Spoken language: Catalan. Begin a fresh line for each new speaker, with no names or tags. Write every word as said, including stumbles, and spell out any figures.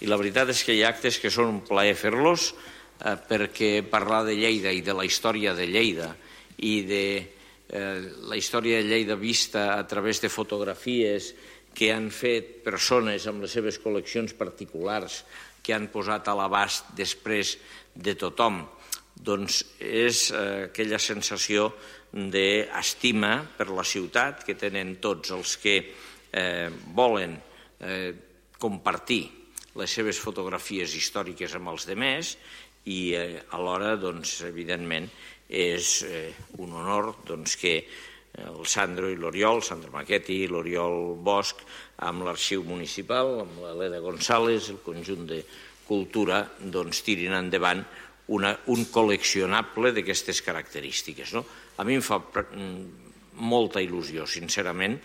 I la veritat és que hi ha actes que són un plaer fer-los, eh, perquè parlar de Lleida i de la història de Lleida i de eh, la història de Lleida vista a través de fotografies que han fet persones amb les seves col·leccions particulars, que han posat a l'abast després de tothom, doncs és eh, aquella sensació d'estima per la ciutat que tenen tots els que eh, volen eh, compartir les seves fotografies històriques amb els demés i eh, alhora, doncs, evidentment, és eh, un honor doncs, que el Sandro i l'Oriol, Sandro Maquetti i l'Oriol Bosch, amb l'Arxiu Municipal, amb l'Helena González, el conjunt de cultura, doncs, tirin endavant una, un col·leccionable d'aquestes característiques. No? A mi em fa molta il·lusió, sincerament,